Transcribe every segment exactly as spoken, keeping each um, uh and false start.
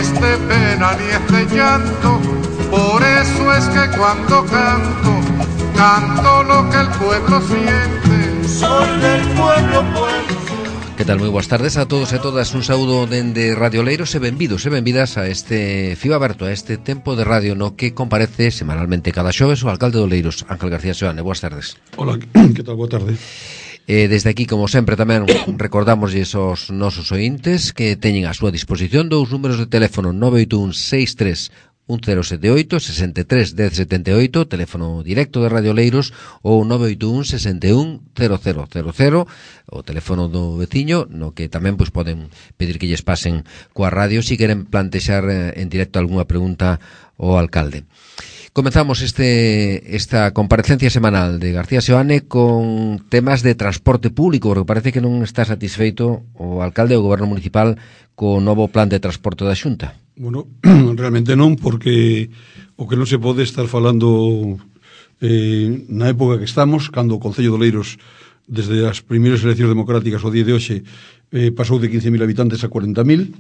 es de pena ni es de llanto, por eso es que cuando canto, canto lo que el pueblo siente. Soy del pueblo, pueblo. Que tal? Moi boas tardes a todos e todas. Un saúdo dende Radio Oleiros e benvidos e benvidas a este Fío Aberto, a este tempo de radio no que comparece semanalmente cada xoves o alcalde de Oleiros, Ángel García Seoane. Boas tardes. Hola, que tal? Boa tarde. Eh, desde aquí, como sempre, tamén recordamos aos nosos ointes que teñen a súa disposición dous números de teléfono: nove oito un seis tres un cero sete oito, sesenta e tres, dez setenta e oito, teléfono directo de Radio Oleiros, ou nove oito un sesenta e un cero cero cero cero, o teléfono do veciño, no que tamén pois poden pedir que lles pasen coa radio se queren plantexar en directo algunha pregunta ao alcalde. Comenzamos este esta comparecencia semanal de García Seoane con temas de transporte público, porque parece que non está satisfeito o alcalde do goberno municipal co novo plan de transporte da Xunta. Bueno, realmente non, porque o que non se pode estar falando eh, na época que estamos, cando o Concello de Oleiros, desde as primeiras eleccións democráticas ao día de hoxe, eh, pasou de quince mil habitantes a cuarenta mil,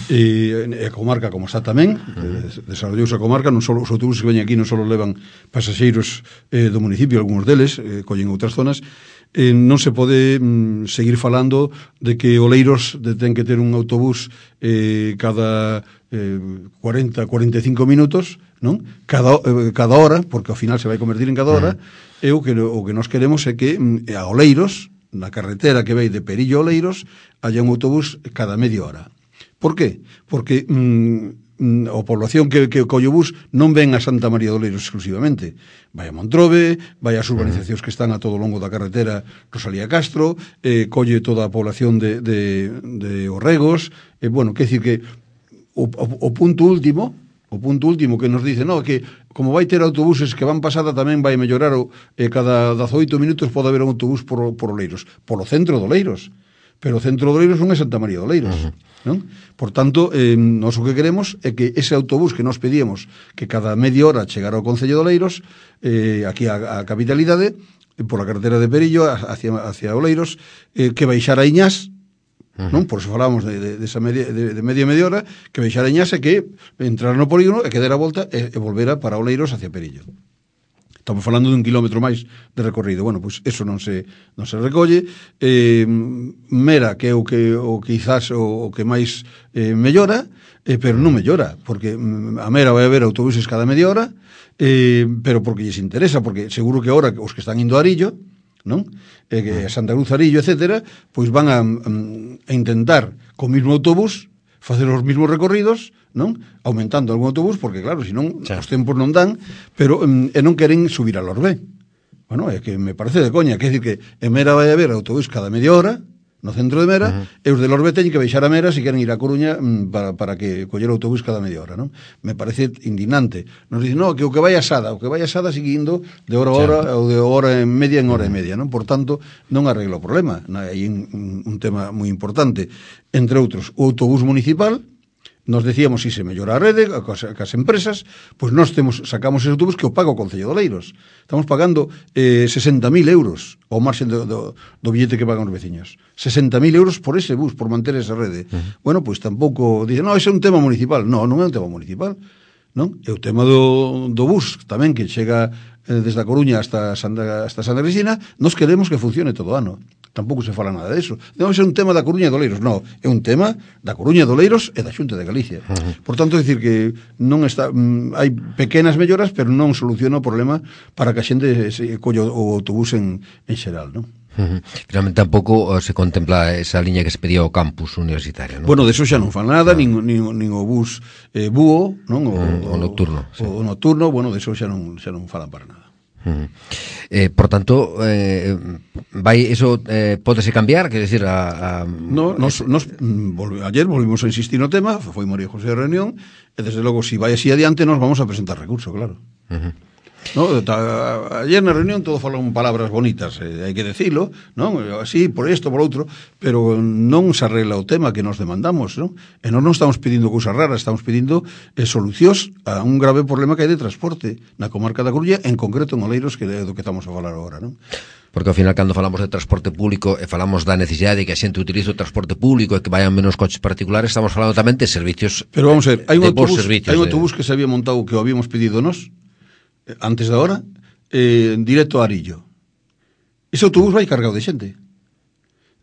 e a comarca como está tamén, uh-huh. desarrollouse a comarca, non só os autobuses que veñen aquí non só levan pasaxeiros eh, do municipio, algúns deles eh, collen outras zonas. Eh, non se pode mm, seguir falando de que Oleiros de, ten que ter un autobús eh, cada eh, cuarenta, cuarenta e cinco minutos, non? Cada, eh, cada hora, porque ao final se vai convertir en cada hora, uh-huh. e o que, o que nos queremos é que mm, a Oleiros, na carretera que vai de Perillo a Oleiros, haya un autobús cada media hora. Por qué? Porque mm, a población que, que colle o bus non ven a Santa María de Oleiros exclusivamente. Vai a Montrobe, vai ás urbanizacións que están a todo o longo da carretera Rosalía Castro, eh, colle toda a población de, de, de Orregos. Eh, bueno, quer decir que o, o, o punto último, o punto último que nos dice, no, que como vai ter autobuses que van pasada tamén vai mellorar o, eh, cada dezaoito minutos pode haber un autobús por, por Oleiros, polo centro de Oleiros. Pero o centro de Oleiros non é Santa María de Oleiros, uh-huh. non? Por tanto, eh, nós o que queremos é que ese autobús que nos pedíamos que cada media hora chegara ao Concello de Oleiros, eh, aquí a, a capitalidade, eh, por a carretera de Perillo hacia, hacia Oleiros, eh, que baixara a Iñás, uh-huh. non? Por eso falamos de, de, de, esa media, de, de media media hora, que baixara a Iñás e que entrar no polígono e que dera a volta e, e volvera para Oleiros hacia Perillo. Estamos falando dun kilómetro máis de recorrido. Bueno, pois eso non se non se recolle. Eh, Mera, que é o que o quizás o, o que máis eh, mellora, eh, pero non mellora, porque a Mera vai haber autobuses cada media hora, eh, pero porque lles interesa, porque seguro que agora os que están indo a Arillo, non? Eh, que a Santa Cruz, Arillo, etcétera, pois van a, a intentar co mismo autobús facer os mesmos recorridos, non? Aumentando algún autobús, porque claro, senón os tempos non dan, pero e non queren subir a Lorbé. Bueno, é que me parece de coña, quer dicir que en Mera vai haber autobús cada media hora, no centro de Mera, uh-huh. e os de Lorbé teñen que baixar a Mera se queren ir a Coruña para, para que coller o autobús cada media hora, non? Me parece indignante. Nos dicen, no, que o que vai a Sada, o que vai a Sada sigue indo de hora a hora, ou de hora en media en hora uh-huh. e media, non? Por tanto, non arregla o problema. Hai un, un tema moi importante. Entre outros, o autobús municipal, nos decíamos si se mellora a rede, cas, cas empresas, pois nós temos, sacamos ese autobús que o paga o Concello de Oleiros. Estamos pagando eh, sesenta mil euros ao marxen do, do, do billete que pagan os veciños. sesenta mil euros por ese bus, por manter esa rede. Uh-huh. Bueno, pois tampouco dicen, no, ese é un tema municipal. No, non é un tema municipal. Non? É o tema do, do bus tamén, que chega eh, desde a Coruña hasta Santa, hasta Santa Cristina. Nos queremos que funcione todo o ano. Tampouco se fala nada disso. Non é un tema da Coruña e de Oleiros, non, é un tema da Coruña e de Oleiros e da Xunta de Galicia. Uh-huh. Por tanto, é dicir que non está, mm, hai pequenas melloras, pero non soluciona o problema para que a xente se colle o autobús en, en xeral, non? Uh-huh. Finalmente tampouco se contempla esa liña que se pedía ao campus universitario, non? Bueno, deso xa non fan nada, nin, nin, nin o bus eh, búho, non? O, uh, o nocturno, sí. O nocturno, bueno, deso xa non, xa non falan para nada. Uh-huh. Eh, por tanto, eh, vai eso eh, pódese cambiar, quer decir, a, a no, nos, nos volve, ayer volvimos a insistir no tema, foi María José de reunión, e desde logo, si vai así adiante, nos vamos a presentar recurso, claro. Uh-huh. ¿no? Ayer na reunión todos falaron palabras bonitas, eh, hai que decilo, non? Así, por isto, por outro, pero non se arregla o tema que nos demandamos, non? E non nos estamos pedindo cousas raras, estamos pedindo eh, solucións a un grave problema que hai de transporte na comarca da Coruña, en concreto en Oleiros, que é do que estamos a falar agora, non? Porque ao final, cando falamos de transporte público e falamos da necesidade de que a xente utilice o transporte público e que vayan menos coches particulares, estamos falando tamén de servicios. Pero vamos a ver, hai un de bons autobús, servicios hai un de... autobús que se había montado, que o habíamos pedido nós antes da hora, eh, directo a Arillo. Ese autobús vai cargado de xente.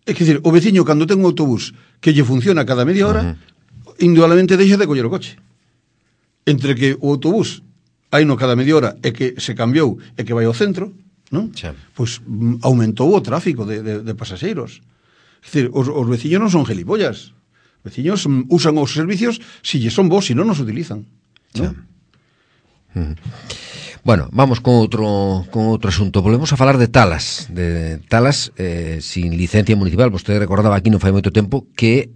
É que decir, o veciño cando ten un autobús que lle funciona cada media hora, uh-huh. indudablemente deixa de coller o coche. Entre que o autobús hai no cada media hora e que se cambiou e que vai ao centro, non? Sí. Pois mm, aumentou o tráfico de, de, de pasaxeiros. É dicir, os, os veciños non son gelipollas. Os veciños mm, usan os servicios si lle son vos, si non nos utilizan, non? Sí. Mm. Bueno, vamos con outro con outro asunto. Volvemos a falar de talas, de talas eh, sin licencia municipal. Vostede recordaba aquí non fai moito tempo que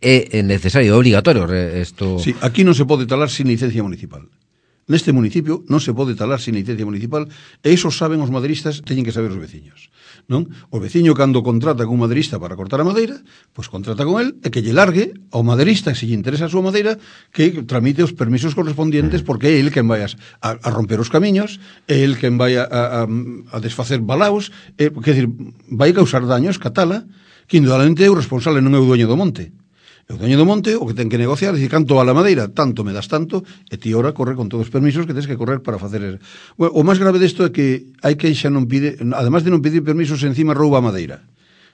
é necesario, é obligatorio isto. Sí, aquí non se pode talar sin licencia municipal. Neste municipio non se pode talar sin licencia municipal, e iso saben os maderistas, teñen que saber os veciños, non? O veciño cando contrata con un maderista para cortar a madeira, pois contrata con el e que lle largue ao maderista, se lle interesa a súa madeira, que tramite os permisos correspondientes, porque é el quen vai a, a romper os camiños, é el quen vai a, a, a desfacer balaos, é, quer dizer, vai causar daños, catala, que indudablemente é o responsable, non é o dueño do monte. E o dueño do monte o que ten que negociar é dicir, canto a la madeira, tanto me das tanto, e ti ora corre con todos os permisos que tens que correr para facer. Bueno, o máis grave desto é que hai que xa non pide, además de non pedir permisos, encima rouba madeira,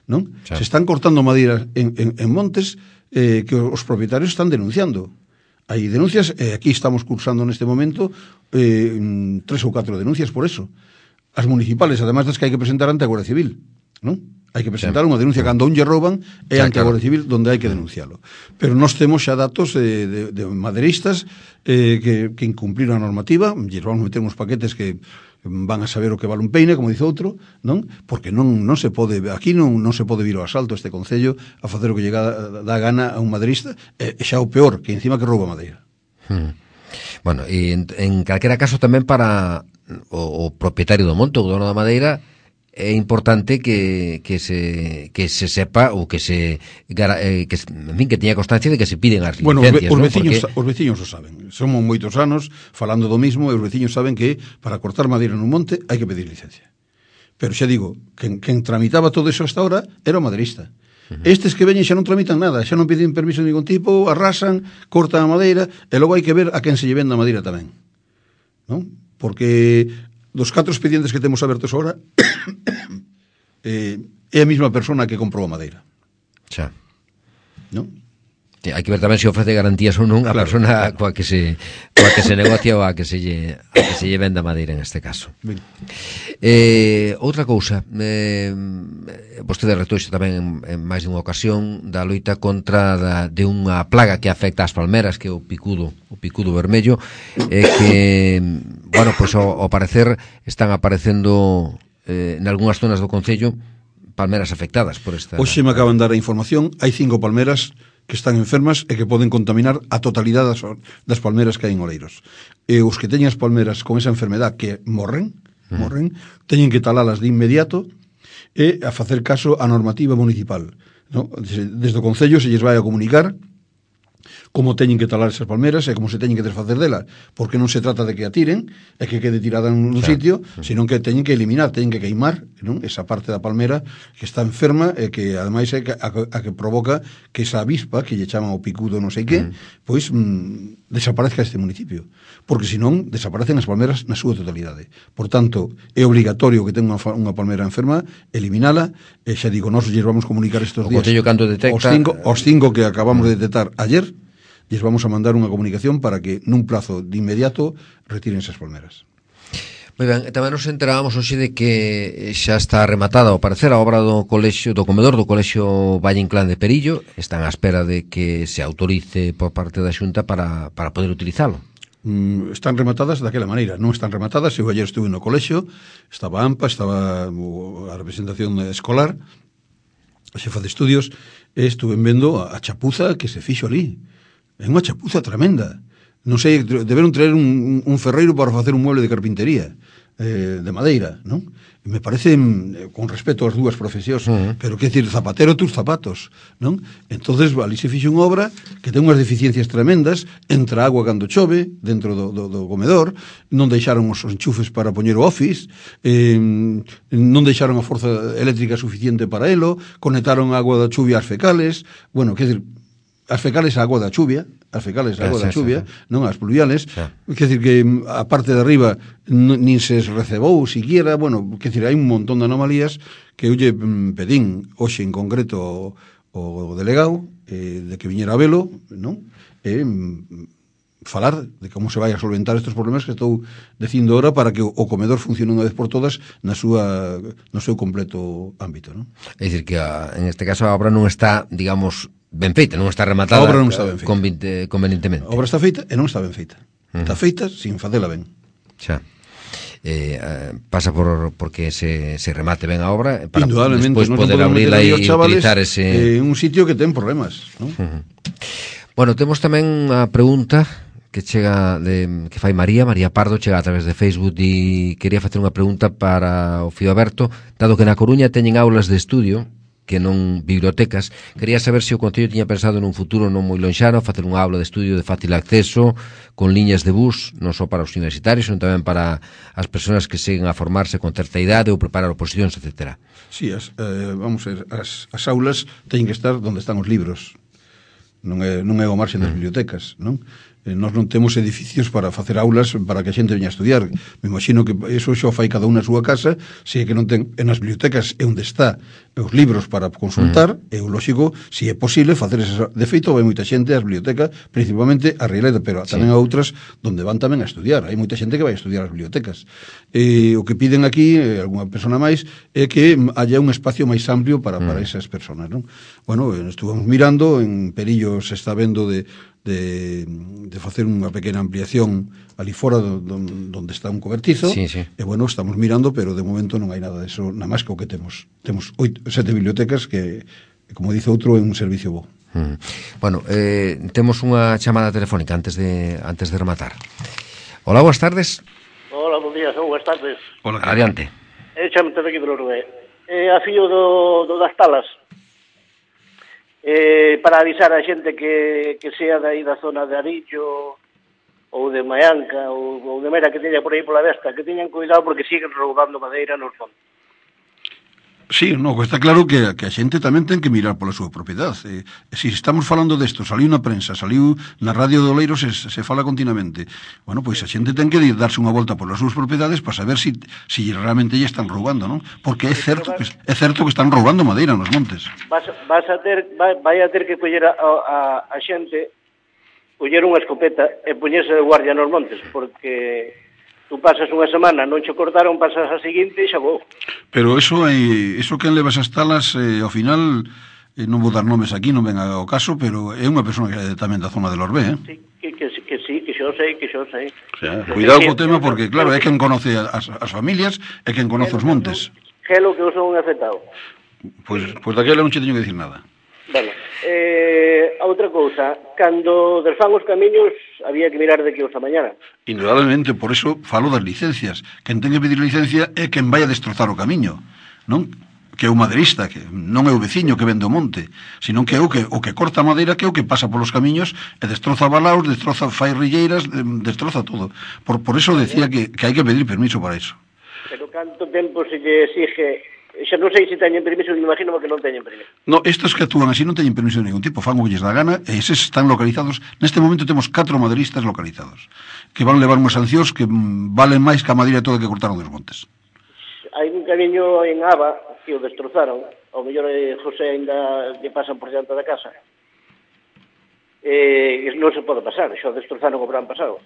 non? Sí. Se están cortando madeira en, en, en montes eh, que os propietarios están denunciando. Hai denuncias, e aquí estamos cursando neste momento eh, tres ou catro denuncias por eso. As municipales, además das que hai que presentar ante a Guardia Civil, non? Hai que presentar sí. unha denuncia cando un lle rouban é ante a Guardia Civil donde hai que denuncialo. Pero nós temos xa datos de, de, de maderistas eh, que, que incumpliron a normativa, lle vamos meter uns paquetes que van a saber o que vale un peine, como dice outro, non? Porque non, non se pode, aquí non, non se pode vir ao asalto este concello a facer o que lle dá gana a un maderista, e xa o peor, que encima que rouba madeira. Hmm. Bueno, e en, en calquera caso tamén para o, o propietario do monte, o dono da madeira, é importante que, que, se, que se sepa ou que se eh, que, en fin, que teña constancia de que se piden as licencias. Bueno, os, ve, os, ¿no? veciños, Porque... os veciños o saben. Somos moitos anos falando do mismo e os veciños saben que para cortar madeira nun monte hai que pedir licencia. Pero xa digo, quen, quen tramitaba todo eso hasta ahora era o maderista. Uh-huh. Estes que veñen xa non tramitan nada, xa non piden permiso de ningún tipo, arrasan, cortan a madeira e logo hai que ver a quen se lle vende a madeira tamén, non? Porque dos catro expedientes que temos abertos agora eh, é a mesma persona que comprou a madeira. Xa. Non? Hai que ver tamén se ofrece garantías ou non a claro, persona claro. coa que se coa que se negocia ou a que se lle a que se lle venda madeira en este caso. Ben. Eh, outra cousa, eh, vostede retoxe tamén en, en máis dunha ocasión da loita contra da, de unha plaga que afecta as palmeras, que é o picudo, o picudo vermello, e eh, que, bueno, pois ao, ao parecer están aparecendo eh, en algunhas zonas do concello palmeras afectadas por esta. Hoxe me acaban de dar a información, hai cinco palmeras que están enfermas e que poden contaminar a totalidade das, das palmeras que hai en Oleiros. E os que teñen as palmeras con esa enfermedad que morren, uh-huh. morren, teñen que talalas de inmediato e a facer caso á normativa municipal, ¿no? Desde, desde o Concello se lles vai a comunicar como teñen que talar esas palmeras e como se teñen que desfacer delas, porque non se trata de que a tiren e que quede tirada nun claro. sitio, senón que teñen que eliminar, teñen que queimar, non? Esa parte da palmera que está enferma e que ademais é a, a que provoca que esa avispa, que lle chaman o picudo non sei que, mm. pois mm, desaparezca este municipio, porque senón desaparecen as palmeras na súa totalidade. Por tanto, é obligatorio que tenga unha, unha palmera enferma, eliminala, e xa digo, nós lles vamos comunicar estes días detecta... os, cinco, os cinco que acabamos de detectar ayer, lles vamos a mandar unha comunicación para que nun plazo de inmediato retiren esas palmeras. Moi ben, tamén nos enterábamos hoxe de que xa está rematada ao parecer a obra do colexio, do comedor do colexio Valle Inclán de Perillo. Están á espera de que se autorice por parte da Xunta para, para poder utilizalo. Mm, están rematadas daquela maneira, non están rematadas. Eu ayer estuve no colexio, estaba a AMPA, estaba a representación escolar, a xefa de estudios, e estuve vendo a chapuza que se fixo ali. É unha chapuza tremenda. non sei, deberon traer un, un ferreiro para facer un mueble de carpintería, eh, de madeira, non? Me parece, con respeto ás dúas profesións, uh -huh. pero que decir, zapatero tus zapatos, non? Entonces, ali se fixe unha obra que ten unhas deficiencias tremendas, entra agua cando chove, dentro do, do, do comedor, non deixaron os enchufes para poñer o office, eh, non deixaron a forza eléctrica suficiente para elo, conectaron a agua da chuvia ás fecales, bueno, que decir, as fecales a agua da chuvia, as fecales a agua da chuvia, non as pluviales, quer decir que a parte de arriba nin se recebou siquiera, bueno, quer decir, hai un montón de anomalías que eu lle pedín hoxe en concreto o delegado eh, de que viñera a velo, non? E falar de como se vai a solventar estes problemas que estou dicindo ahora para que o comedor funcione unha vez por todas na súa, no seu completo ámbito, non? É dicir que a, en este caso a obra non está, digamos, ben feita, non está rematada. A obra non está ben feita. Convinte, convenientemente. A obra está feita e non está ben feita. Uh -huh. Está feita sin facela ben. Xa. Eh, eh, pasa por porque se, se remate ben a obra para despois poder abrirla e utilizar ese... Eh, un sitio que ten problemas, non? Uh -huh. Bueno, temos tamén a pregunta que chega de, que fai María, María Pardo, chega a través de Facebook e quería facer unha pregunta para o Fío Aberto, dado que na Coruña teñen aulas de estudio que non bibliotecas, quería saber se o Concello tiña pensado nun futuro non moi lonxano facer unha aula de estudio de fácil acceso con liñas de bus, non só para os universitarios, senón tamén para as persoas que seguen a formarse con certa idade ou preparar oposicións, etcétera. Sí, as, eh, vamos a ver, as, as aulas teñen que estar onde están os libros, non é, non é o marxen das bibliotecas, non? Eh, nós non temos edificios para facer aulas para que a xente veña a estudiar. Me imagino que eso xo fai cada un na súa casa, se é que non ten en as bibliotecas é onde está os libros para consultar, mm. é o lógico, se é posible facer ese. De feito, vai moita xente ás bibliotecas, principalmente a Rieleda, pero tamén sí. a outras donde van tamén a estudiar. Hai moita xente que vai a estudiar as bibliotecas. Eh, o que piden aquí, eh, alguna persona máis, é que haya un espacio máis amplio para, mm. para esas personas, non? Bueno, estuvamos mirando, en Perillo se está vendo de de, de facer unha pequena ampliación ali fora do, do, donde está un cobertizo, sí, sí. e bueno, estamos mirando, pero de momento non hai nada de eso, nada máis que o que temos. Temos oito, sete bibliotecas que, como dice outro, é un servicio bo. Mm. Bueno, eh, temos unha chamada telefónica antes de antes de rematar. Hola, boas tardes. Hola, bons días, boas tardes. Hola, adiante. Eh, chamate de aquí do Uruguai. Eh, a fillo do, do das Talas, eh, para avisar a xente que, que sea de aí da zona de Arillo ou de Maianca ou, ou de Mera que teña por aí pola Vesta, que teñan cuidado porque siguen roubando madeira nos fondos. Sí, no, está claro que, que a xente tamén ten que mirar pola súa propiedade. Eh, se si estamos falando desto, saliu na prensa, saliu na radio do Leiro, se, se fala continuamente. Bueno, pois a xente ten que darse unha volta polas súas propiedades para saber si, si realmente lle están roubando, non? Porque é certo que, é certo que están roubando madeira nos montes. Vas, vas a ter, vai, vai a ter que coller a, a, a xente, coller unha escopeta e poñerse de guardia nos montes, porque tú pasas unha semana, non che cortaron, pasas a seguinte e xa vou. Pero eso é, eso que enlevas as talas, eh, ao final, eh, non vou dar nomes aquí, non ven ao caso, pero é unha persona que é tamén da zona del Orbé, eh? Sí, que, que, que sí, que xo sei, que xo sei. O sea, cuidado co tema, porque claro, é quen conoce as, as familias, é quen conoce os montes. Que é lo que eu son afectado. Pois, pois daquela non che teño que dicir nada. Bueno, eh, a outra cousa, cando desfan os camiños había que mirar de que os a mañana. Indudablemente, por eso falo das licencias. Quen ten que pedir licencia é quen vai a destrozar o camiño, non? Que é o maderista, que non é o veciño que vende o monte, senón que é o que, o que corta a madeira, que é o que pasa polos camiños e destroza balaos, destroza fairrilleiras, destroza todo. Por, por eso decía que, que hai que pedir permiso para eso. Pero canto tempo se lle exige... Xa non sei se teñen permiso, me imagino que non teñen permiso. No, estos que actúan así non teñen permiso de ningún tipo, fan o que lles dá gana, e eses están localizados. Neste momento temos catro maderistas localizados, que van levar unhas sancións que valen máis que a madeira toda que cortaron dos montes. Hai un camiño en Aba que o destrozaron, ao mellor eh, José ainda lle pasan por diante da casa. Eh, non se pode pasar, xa o destrozaron o verán pasado.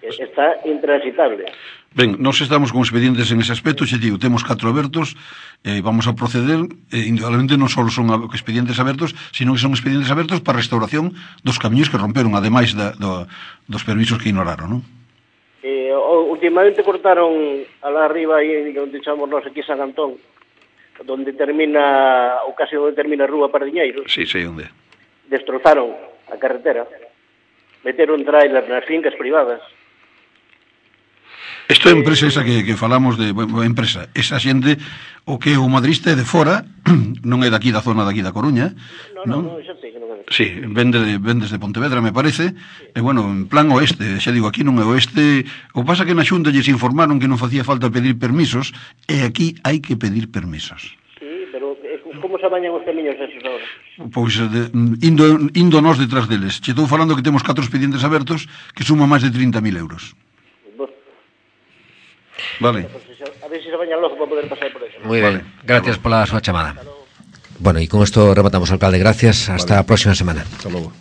Está intransitable. Ben, nós estamos con expedientes en ese aspecto, xe digo, temos catro abertos, eh, vamos a proceder, eh, indudablemente non só son expedientes abertos, sino que son expedientes abertos para restauración dos camiños que romperon, ademais da, do, dos permisos que ignoraron, non? Eh, últimamente cortaron alá arriba, aí onde chamamos nós aquí San Antón, donde termina, ou casi onde termina a Rúa Pardiñeiros. Sí, sei onde. Destrozaron a carretera. meter un tráiler nas fincas privadas. Isto é empresa esa que, que falamos de bueno, empresa, esa xente o que o madrista é de fora, non é daqui da zona daqui da Coruña. Non, non, non, xa sei que non é. Sí, vende de, vendes de Pontevedra, me parece. E bueno, en plan oeste, xa digo, aquí non é oeste. O pasa que na Xunta lles informaron que non facía falta pedir permisos, e aquí hai que pedir permisos. Sí, pero como se bañan os camiños esos ahora? Pois de, indo, indo nós detrás deles. Che estou falando que temos catro expedientes abertos que suman máis de trinta mil euros. Vale. A ver se se bañan logo para poder pasar por eso. Muy vale. bien, gracias por la súa chamada. Bueno, y con esto rematamos, alcalde. Gracias, hasta vale. La próxima semana. Hasta luego.